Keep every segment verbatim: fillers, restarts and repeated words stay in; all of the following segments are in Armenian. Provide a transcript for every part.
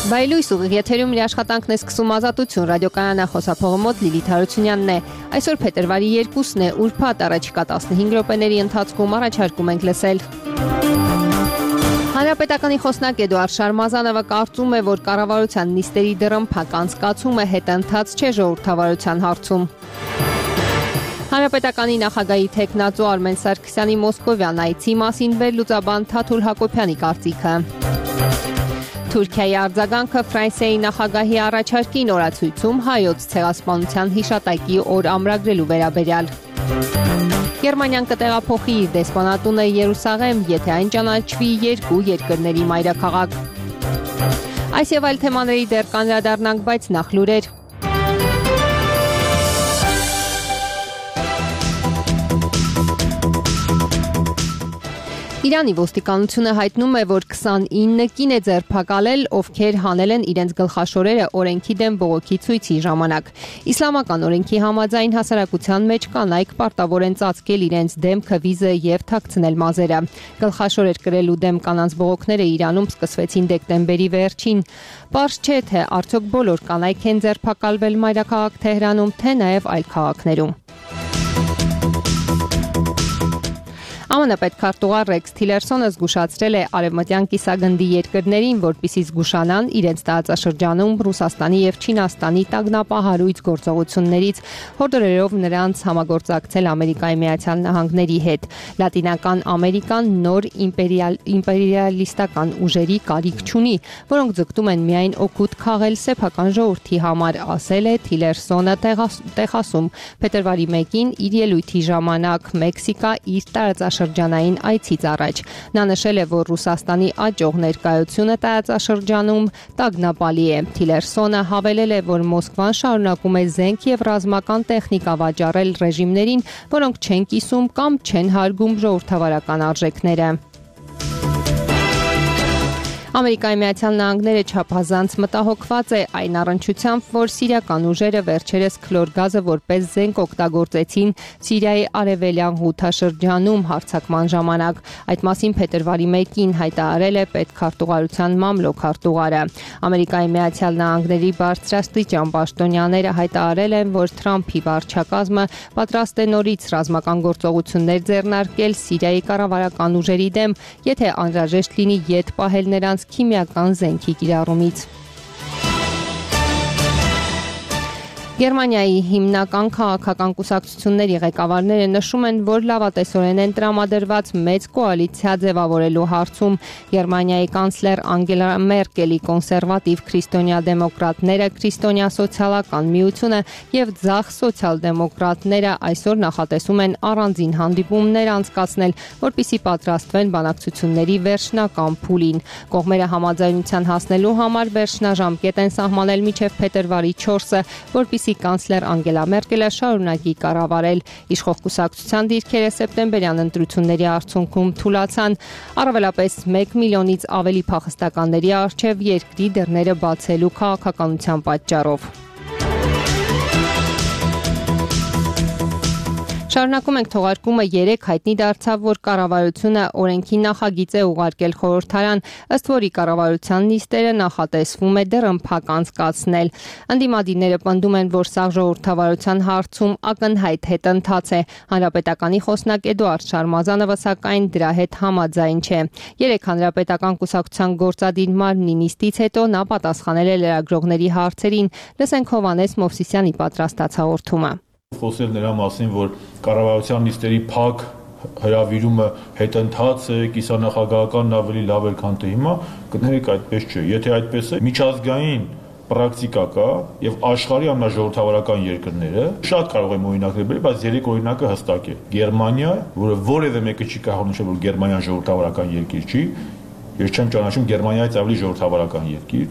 Բայլույս ուղիղ եթերում իր աշխատանքն է սկսում Ազատություն ռադիոկայանը, խոսափողը մոտ Լիլիթ Հարությունյանն է։ Այսօր փետրվարի երկուսն է, ուրբաթ, առաջիկա տասնհինգ րոպեների ընթացքում առաջարկում ենք լսել։ Հանրապետականի խոսնակ Էդուարդ Շարմազանովը կարծում է, որ կառավարության նիստերի դռնփակ անցկացումը հետընթաց չէ ժողովրդավարության հարցում։ Հանրապետականի նախագահի թեկնածու Արմեն Սարգսյանի Մոսկովյան այցի մասին վերլուծաբան Թաթուլ Հակոբյանի կարծիքը։ Թուրքիայի արձագանքը Ֆրանսիայի նախագահի առաջարկին օրացույցում հայոց ցեղասպանության հիշատակի օր ամրագրելու վերաբերյալ։ Գերմանիան կտեղափոխի իր դեսպանատունը Երուսաղեմ, եթե այն ճանաչվի երկու երկրների մայրաքաղաք։ Այս եւ այլ թեմաների դեռ կանդրադառնանք, բայց նախ լուրեր։ Իրանի ոստիկանությունը հայտնում է, որ քսանինը կին է ձերբակալել, ովքեր հանել են իրենց գլխաշորերը օրենքի դեմ բողոքի ցույցի ժամանակ։ Իսլամական օրենքի համաձայն հասարակության մեջ կանայք պարտավոր են ծածկել իրենց դեմքը, վիզը եւ թաքցնել մազերը։ Գլխաշորեր կրելու դեմ կանանց բողոքները Իրանում սկսվեցին դեկտեմբերի վերջին։ Պարզ չէ, թե արդյոք բոլոր կանայք են ձերբակալվել մայրաքաղաք Թեհրանում, թե նաեւ այլ քաղաքներում։ ԱՄՆ պետքարտուղար Ռեքս Թիլերսոնը զգուշացրել է արևմտյան կիսագնդի երկրներին, որպեսզի զգուշանան իրենց տարածաշրջանում Ռուսաստանի եւ Չինաստանի տագնապահարույց գործողություններից, հորդորելով նրանց համագործակցել Ամերիկայի Միացյալ Նահանգների հետ։ Լատինական Ամերիկան նոր իմպերիալ իմպերիալիստական ուժերի կարիք չունի, որոնք ձգտում են միայն օգուտ քաղել սեփական ժողովրդի համար, ասել է Թիլերսոնը Տեխասում փետրվարի մեկին իր ելույթի ժամանակ Մեքսիկա իր տարածաշրջանում շրջանային այցից առաջ։ Նա նշել է, որ Ռուսաստանի աճող ներկայությունը տարածաշրջանում տագնապալի է։ Թիլերսոնը հավելել է, որ Մոսկվան շարունակում է զենք եւ ռազմական տեխնիկա վաճառել ռեժիմներին, որոնք չեն կիսում կամ չեն հարգում ժողովրդավարական արժեքները։ Ամերիկայի Միացյալ Նահանգները չափազանց մտահոգված է այն առնչությամբ, որ սիրիական ուժերը վերջերս քլոր գազը որպես զենք օգտագործեցին Սիրիայի արևելյան Ղութաշրջանում հարձակման ժամանակ։ Այդ մասին փետրվարի մեկին հայտարարել է պետքարտուղարության մամլոքարտուղարը։ Ամերիկայի Միացյալ Նահանգների բարձրաստիճան պաշտոնյաները հայտարարել են, որ Թրամփի վարչակազմը պատրաստ է նորից ռազմական գործողություններ ձեռնարկել Սիրիայի կառավարական ուժերի դեմ, եթե անհրաժեշտ լինի ետ պահել նրանց քիմիական զենքի կիրառումից։ Գերմանիայի հիմնական քաղաքական կուսակցությունների ղեկավարները նշում են, որ լավատեսորեն են տրամադրված մեծ կոալիցիա ձևավորելու հարցում։ Գերմանիայի կանցլեր Անգելա Մերկելի կոնսերվատիվ քրիստոնյա-դեմոկրատները, քրիստոնյա սոցիալական միությունը եւ ձախ սոցիալ-դեմոկրատները այսօր նախատեսում են առանձին հանդիպումներ անցկացնել, որպեսզի պատրաստվեն բանակցությունների վերջնական փուլին։ Կողմերը համաձայնության հասնելու համար վերջնաժամկետ են սահմանել մինչև փետրվարի չորսը, որպեսզի կանցլեր Անգելա Մերկելը շարունակի կառավարել։ Իշխող կուսակցության դիրքերը սեպտեմբերյան ընտրությունների արդյունքում թուլացան, առավելապես մեկ միլիոնից ավելի փախստականների առջև երկրի դռները բացելու քաղաքականության պատճառով։ Շարունակում ենք թողարկումը երեք հայտնի դարձավ, որ կառավարությունը օրենքի նախագիծ է ուղարկել խորհրդարան, ըստ որի կառավարության նիստերը նախատեսվում է դռնփակ անցկացնել։ Ընդդիմադիրները պնդում են, որ սա ժողովրդավարության հարցում ակնհայտ հետընթաց է։ Հանրապետականի խոսնակ Էդուարդ Շարմազանովը սակայն դրա հետ համաձայն չէ։ Երեք հանրապետական կուսակցության գործադիր մարմնի նիստից հետո նա պատասխանել է լրագրողների հարցերին։ Լսենք Հովհաննես Մովսիսյանի պատրաստած հաղորդումը։ Խոսել նրա մասին, որ կառավարության նիստերի փակ հրավիրումը հետընթաց է, կիսանախագահականն ավելի լավ էր, քան թե հիմա, կներեք այդպես չէ։ Եթե այդպես է, միջազգային պրակտիկա կա եւ աշխարհի ամենաժողովրդավարական երկրները շատ կարող եմ օրինակներ բերել, բայց երեք օրինակը հստակ է։ Գերմանիա, որը որևէ մեկը չի կարող նշել, որ Գերմանիան ժողովրդավարական երկիր չի, ես չեմ ճանաչում Գերմանիայից ավելի ժողովրդավարական երկիր,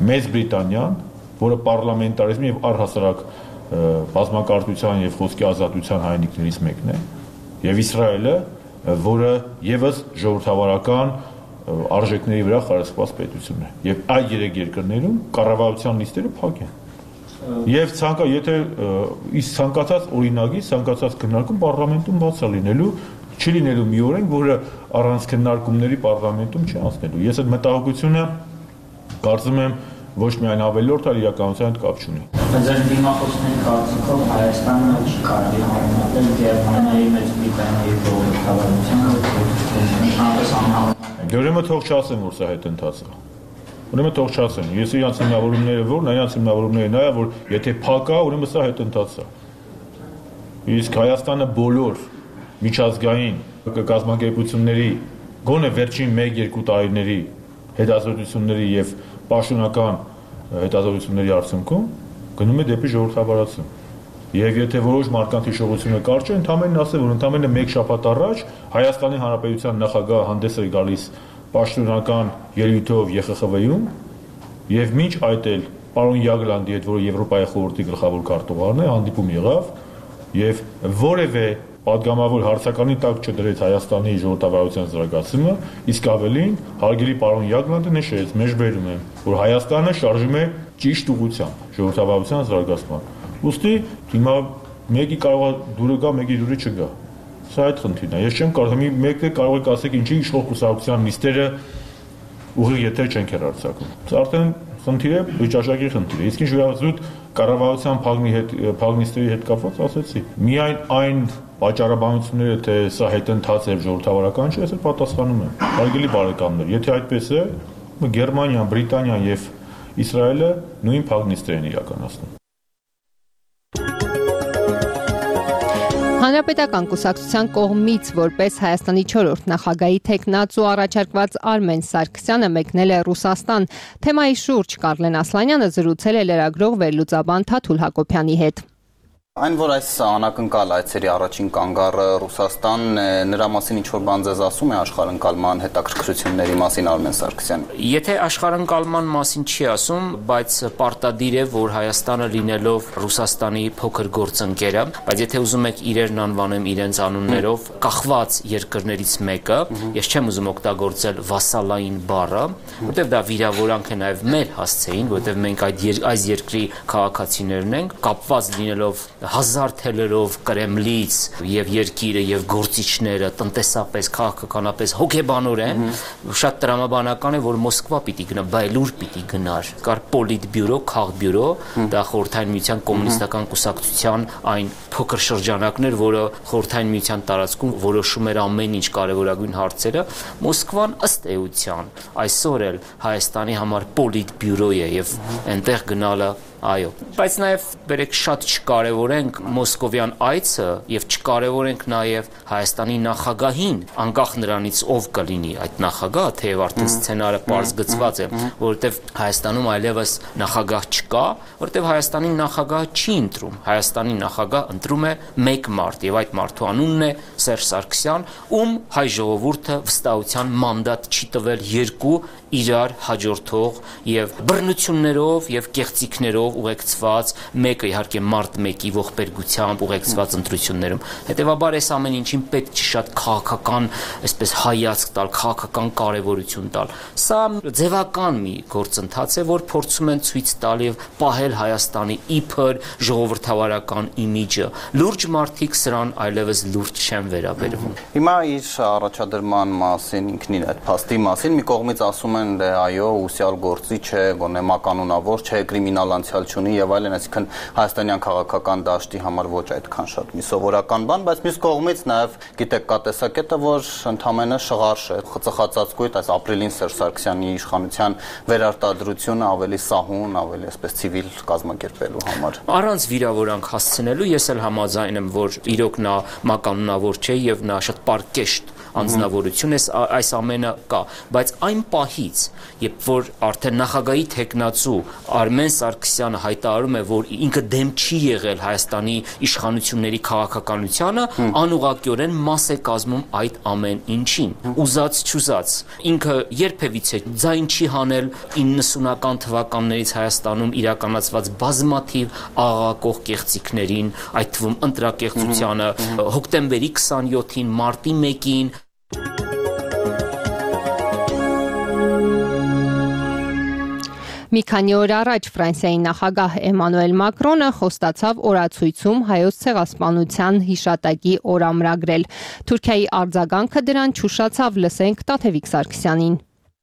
Մեծ Բրիտանիան, որը պարլամենտարիզմի եւ առհասարակ բազմակարծության եւ խոսքի ազատության հայրենիքներից մեկն է, եւ Իսրայելը, որը եւս ժողովրդավարական արժեքների վրա խարսխված պետություն է։ Եվ այդ երեք երկրներում կառավարության նիստերը փակ են։ Եվ ցանկա եթե իսկ ցանկացած օրինագի, ցանկացած քննարկում պարլամենտում բաց է լինելու, չի լինելու մի օրենք, որը առանց քննարկումների պարլամենտում չի անցնելու։ Ես այդ մտահոգությունը Կարծում եմ ոչ միայն ավելորդ, այլ իրականության հետ կապ չունի։ Ձեր դիմախոսների կարծիքով Հայաստանը չի կարելի համեմատել Գերմանիայի, Մեծ Բրիտանիայի ժողովրդավարությանը։ Դե ուրեմն թող չասեմ, որ սա հետընթաց է։ Ուրեմն թող չասեմ, ես իրանց հիմնավորումները որն, իրանց հիմնավորումները նա է, որ եթե փակ է, ուրեմն սա հետընթաց է։ Իսկ Հայաստանը բոլոր միջազգային կազմակերպությունների գոնե վերջին մեկ-երկու տարիների հետազոտությունների եւ պաշտոնական հետազոտությունների արդյունքում գնում է դեպի ժողովրդավարություն։ Եվ եթե որոշ մարդկանց հիշողությունը կարճ է, ընդամենն ասել, որ ընդամենը մեկ շաբաթ առաջ Հայաստանի Հանրապետության նախագահը հանդես էր գալիս պաշտոնական ելույթով Ե Խ Խ V-ում եւ մինչ այդ էլ պարոն Յագլանդի հետ, որը Եվրոպայի խորհրդի գլխավոր քարտուղարն է, հանդիպում եղավ եւ որևէ պատգամավոր հարցականի տակ չդրեց Հայաստանի ժողովրդավարության զարգացումը, իսկ ավելին հարգելի պարոն Յագլանդը նշեց, մեջբերում եմ, որ Հայաստանը շարժվում է ճիշտ ուղղությամբ ժողովրդավարության զարգացման։ Ուստի հիմա մեկի կարող է դուրը գա, մեկի դուրը չգա։ Սա այդ խնդիրն է։ Ես չեմ կարող, մեկը կարող եք ասեք, ինչի իշխող կուսակցության նիստերը ուղիղ եթե չենք հեռարձակում։ Սա արդեն խնդիր է, վիճակի խնդիր է։ Իսկ ինչ վերաբերում կառավարության փակնի հետ փակնիստերի հետ կապված ասեցի։ Միայն այն պատճառաբանությունները, թե սա հետընթաց է ժողովրդավարական չէ, ես էլ պատասխանում եմ։ Հարգելի բարեկամներ, եթե այդպես է, Գերմանիան, Բրիտանիան եւ Իսրայելը նույն փակնիստերն են իրականացնում։ Հանրապետական կուսակցության կողմից որպես Հայաստանի չորրորդ նախագահի թեկնածու առաջարկված Արմեն Սարգսյանը մեկնել է Ռուսաստան։ Թեմայի շուրջ Կարլեն Ասլանյանը զրուցել է լրագրող վերլուծաբան Թաթուլ Հակոբյանի հետ։ Այն, որ այս անակնկալ այցերի առաջին կանգառը Ռուսաստանն է, նրա մասին ինչ-որ բան ձեզ ասում է աշխարհընկալման հետաքրքրությունների մասին Արմեն Սարգսյան։ Եթե աշխարհընկալման մասին չի ասում, բայց պարտադիր է, որ Հայաստանը լինելով Ռուսաստանի փոքր գործընկերը, բայց եթե ուզում եք իրերն անվանեմ իրենց անուններով, կախված երկրներից մեկը, ես չեմ ուզում օգտագործել վասալային բառը, որտեղ դա վիրավորանք է նաև մեր հասցեին, որտեղ մենք այդ այս երկրի քաղաքացիներն ենք, կապված լինելով հազար թելերով Կրեմլից եւ երկիրը եւ գործիչները տնտեսապես, քաղաքականապես, հոգեբանորեն շատ տրամաբանական է, որ Մոսկվա պիտի գնա, բայլուր պիտի գնար։ Կար պոլիտբյուրո, քաղբյուրո, դա Խորհրդային Միության կոմունիստական կուսակցության այն փոքր շրջանակներ, որը Խորհրդային Միության տարածքում որոշում էր ամեն ինչ կարևորագույն հարցերը, Մոսկվան ըստ էության այսօր էլ Հայաստանի համար պոլիտբյուրո է եւ այնտեղ գնալը այո, բայց նաև բերեք շատ չկարևորենք մոսկովյան այցը եւ չկարևորենք նաև Հայաստանի նախագահին, անկախ նրանից ով կլինի այդ նախագահը, թեև արդեն սցենարը պարզ գծված է, որովհետեւ Հայաստանում այլևս նախագահ չկա, որովհետեւ Հայաստանի նախագահը չի ընտրում, Հայաստանի նախագահ ընտրում է մեկ մարդ եւ այդ մարդու անունն է Սերժ Սարգսյան, ում հայ ժողովուրդը վստահության մանդատ չի տվել երկու իրար հաջորդող եւ բռնություններով եւ կեղծիքներով ուղեկցված, մեկը իհարկե մարդ մեկի ողբերգությամբ ուղեկցված ընտրություններում։ Հետևաբար այս ամեն ինչին պետք չի շատ քաղաքական, այսպես հայացք տալ, քաղաքական կարևորություն տալ։ Սա ձևական մի գործընթաց է, որ փորձում են ցույց տալ եւ պահել Հայաստանի իբր ժողովրդավարական իմիջը։ Լուրջ մարդիկ սրան այլևս լուրջ չեն վերաբերվում։ Հիմա իր առաջադրման մասին, ինքնին այդ փաստի մասին մի կողմից ասում են, դե այո, ուսյալ գործիչ է, գոնե մականունավոր չէ, կրիմինալ անցյալ չունի եւ այլն, այսինքն հայաստանյան քաղաքական դաշտի համար ոչ այդքան շատ մի սովորական բան, բայց մյուս կողմից նաեւ գիտեք կա տեսակետը, որ ընդամենը շղարշ է, խծխածածկույտ, այս ապրիլին Սերժ Սարգսյանի իշխանության վերարտադրությունը ավելի սահուն, ավելի այսպես ցիվիլ կազմակերպելու համար։ Առանց վիրավորանք հասցնելու ես էլ համաձայն եմ, որ իրոք նա մականունավոր չէ եւ նա շատ պարկեշտ անձնավորություն է, այս ամենը կա, բայց այն պահից, երբ որ արդեն նախագահի թեկնածու Արմեն Սարգսյանը հայտարարում է, որ ինքը դեմ չի եղել Հայաստանի իշխանությունների քաղաքականությանը, անուղղակիորեն մաս է կազմում այդ ամեն ինչին։ Ուզած չուզած, ինքը երբևիցե ձայն չի հանել իննսունական թվականներից Հայաստանում իրականացված բազմաթիվ աղաղակող կեղծիքներին, այդ թվում ընտրակեղծությանը, հոկտեմբերի քսանյոթին, մարտի մեկին։ Մի քանի օր առաջ Ֆրանսիայի նախագահ Էմանուել Մակրոնը խոստացավ օրացույցում հայոց ցեղասպանության հիշատակի օր ամրագրել։ Թուրքիայի արձագանքը դրան չուշացավ, լսենք Տաթևիկ Սարգսյանին։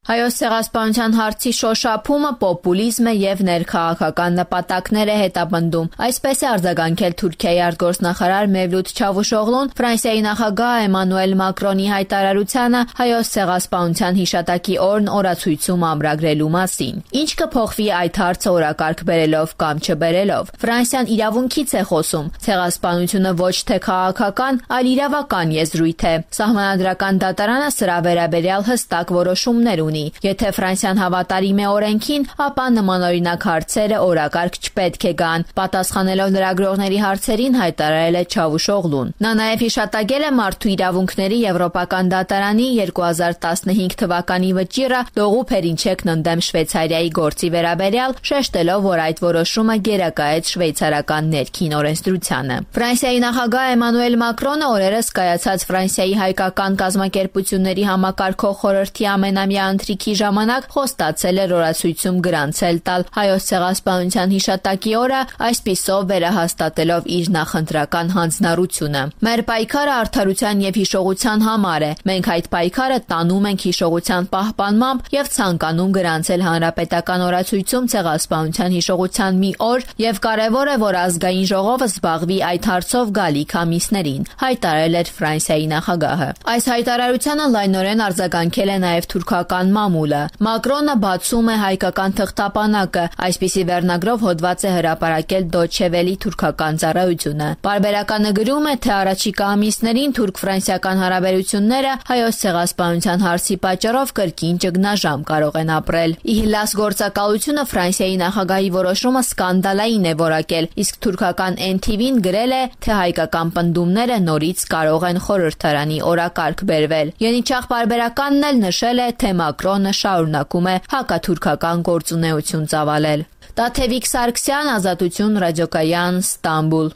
Հայոց ցեղասպանության հարցի շոշափումը պոպուլիզմ է եւ ներքաղաքական նպատակներ է հետապնդում։ Այսպես է արձագանքել Թուրքիայի արտգործնախարար Մևլութ Չավուշօղլուն Ֆրանսիայի նախագահ Էմանուել Մակրոնի հայտարարությանը հայոց ցեղասպանության հիշատակի օրն օրացույցում ամրագրելու մասին։ Ինչ կփոխվի այդ հարցը օրակարգ բերելով կամ չբերելով։ Ֆրանսիան իրավունքից է խոսում։ Ցեղասպանությունը ոչ թե քաղաքական, այլ իրավական եզրույթ է։ Սահմանադրական դատարանը սրա վերաբերյալ հստակ որոշումներ ունի։ Եթե Ֆրանսիան հավատարիմ է օրենքին, ապա նմանօրինակ հարցերը օրակարգ չպետք է գան, պատասխանելով լրագրողների հարցերին հայտարարել է Չավուշօղլուն։ Նա նաև հիշատակել է մարդու իրավունքների Եվրոպական դատարանի երկու հազար տասնհինգ թվականի վճիռը Լողուփերինչեկն ընդդեմ Շվեյցարիայի գործի վերաբերյալ, շեշտելով, որ այդ որոշումը գերակայեց շվեյցարական ներքին օրենսդրությանը։ Ֆրանսիայի նախագահ Էմանուել Մակրոնը օրերս կայացած Ֆրանսիայի հայկական կազմակերպությունների համակարգող խորհրդի ամենամյա ընթրիքի ժամանակ խոստացել էր օրացույցում գրանցել տալ հայոց ցեղասպանության հիշատակի օրը, այսպիսով վերահաստատելով իր նախընտրական հանձնառությունը։ Մեր պայքարը արդարության եւ հիշողության համար է։ Մենք այդ պայքարը տանում ենք հիշողության պահպանմամբ եւ ցանկանում գրանցել հանրապետական օրացույցում ցեղասպանության հիշողության մի օր եւ կարեւոր է, որ ազգային ժողովը զբաղվի այդ հարցով գալիք ամիսներին, հայտարարել էր Ֆրանսիայի նախագահը։ Այս հայտարարությանը լայնորեն արձագանքել է նաեւ թուրքական մամուլը։ Մակրոնը բացում է հայկական թղթապանակը, այսպիսի վերնագրով հոդված է հրապարակել Deutsche Welle թուրքական ծառայությունը։ Պարբերականը գրում է, թե առաջիկա ամիսներին թուրք-ֆրանսիական հարաբերությունները հայոց ցեղասպանության հարցի պատճառով կրկին ճգնաժամ կարող են ապրել։ Իհլաս գործակալությունը Ֆրանսիայի նախագահի որոշումը սկանդալային է որակել, իսկ թուրքական N T V-ն գրել է, թե հայկական պնդումները նորից կարող են խորհրդարանի օրակարգ բերվել։ Ենիչախ պարբերականն էլ նշել է, թե Մակրոնը շարունակում է հակաթուրքական գործունեություն ծավալել։ Տաթևիկ Սարգսյան, Ազատություն, Ռադիոկայան, Ստամբուլ։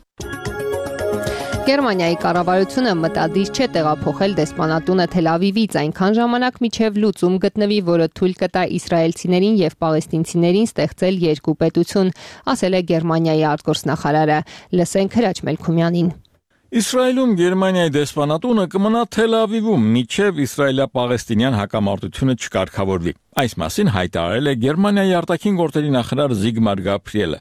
Գերմանիայի կառավարությունը մտադիր չէ տեղափոխել դեսպանատունը Թել Ավիվից այնքան ժամանակ մինչև լուծում գտնվի, որը թույլ կտա իսրայելցիներին եւ պաղեստինցիներին ստեղծել երկու պետություն, ասել է Գերմանիայի արտգործնախարարը։ Լսենք Հրաչ Մելքումյանին։ Իսրայելում Գերմանիայի դեսպանատունը կմնա Թել Ավիվում, մինչև իսրայելա-պաղեստինյան հակամարտությունը չկարգավորվի։ Այս մասին հայտարարել է Գերմանիայի արտաքին գործերի նախարար Զիգմար Գաբրիելը։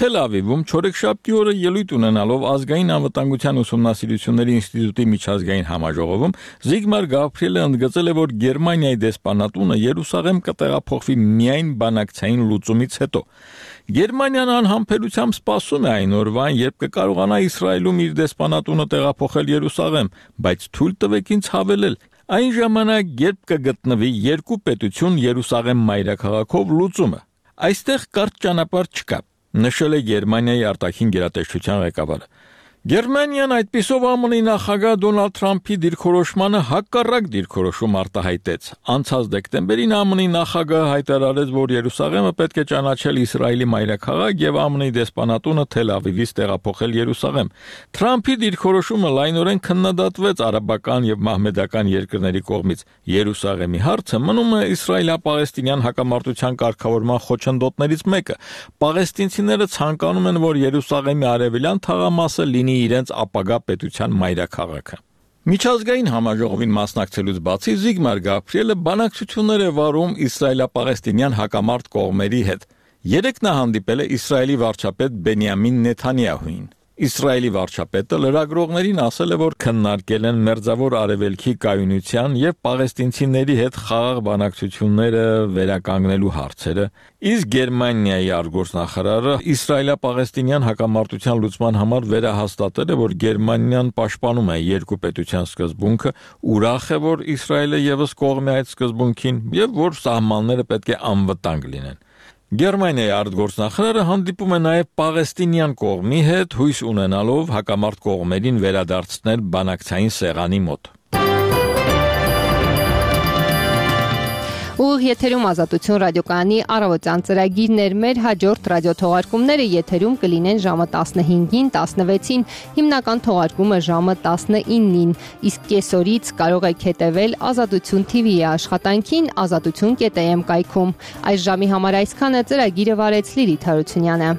Թել Ավիվում չորեքշաբթի օրը ելույթ ունենալով ազգային անվտանգության ուսումնասիրությունների ինստիտուտի միջազգային համաժողովում Զիգմար Գաբրիելը ընդգծել է, որ Գերմանիայի դեսպանատունը Երուսաղեմ կտեղափոխվի միայն բանակցային լուծումից հետո։ Գերմանիան անհամբերությամբ սպասում է այն օրվան, երբ կկարողանա Իսրայելում իր դեսպանատունը տեղափոխել Երուսաղեմ, բայց թույլ տվեք ինձ հավելել, այն ժամանակ, երբ կգտնվի երկու պետություն Երուսաղեմ մայրաքաղաքով լուծումը։ Այստեղ կարճ ճանապարհ չկա, նշել է Գերմանիայի արտաքին գերատեսչության ղեկավարը։ Գերմանիան այդպիսով Ամն նախագահ Դոնալդ Թրամփի դիրքորոշմանը հակառակ դիրքորոշում արտահայտեց։ Անցած դեկտեմբերին Ամն նախագահը հայտարարեց, որ Երուսաղեմը պետք է ճանաչել Իսրայելի մայրաքաղաք եւ Ամն դեսպանատունը Թել Ավիվից տեղափոխել Երուսաղեմ։ Թրամփի դիրքորոշումը լայնորեն քննադատվեց արաբական եւ մահմեդական երկրների կողմից։ Երուսաղեմի հարցը մնում է իսրայելա-պաղեստինյան հակամարտության կարգավորման խոչընդոտներից մեկը։ Պաղեստինցիները ցանկանում են, որ Երուսաղեմի արևելյան թաղամասը լինի իրենց ապագա պետության մայրաքաղաքը։ Միջազգային համաժողովին մասնակցելուց բացի Զիգմար Գաբրիելը բանակցություններ է վարում իսրայելա-պաղեստինյան հակամարտ կողմերի հետ։ Երեկ նա հանդիպել է Իսրայելի վարչապետ Բենյամին Նեթանյահուին։ Իսրայելի վարչապետը լրագրողներին ասել է, որ քննարկել են Մերձավոր Արևելքի կայունության եւ պաղեստինցիների հետ խաղաղ բանակցությունները վերականգնելու հարցերը, իսկ Գերմանիայի արտգործնախարարը իսրայելա-պաղեստինյան հակամարտության լուծման համար վերահաստատել է, որ Գերմանիան պաշտպանում է երկու պետության սկզբունքը, ուրախ է, որ Իսրայելը եւս կողմ է այդ սկզբունքին եւ որ սահմանները պետք է անվտանգ լինեն։ Գերմանիայի արտգործնախարարը հանդիպում է նաև պաղեստինյան կողմի հետ, հույս ունենալով հակամարտ կողմերին վերադարձնել բանակցային սեղանի մոտ։ Ուղիղ եթերում Ազատություն ռադիոկայանի առավոտյան ծրագիրն էր։ Մեր հաջորդ ռադիոթողարկումները եթերում կլինեն ժամը տասնհինգին, տասնվեցին, հիմնական թողարկումը ժամը տասնինին, իսկ կեսօրից կարող եք հետևել Ազատություն T V-ի աշխատանքին ազատություն կետ am կայքում։ Այս ժամի համար այսքանը, ծրագիրը վարեց Լիլիթ Հարությունյանը։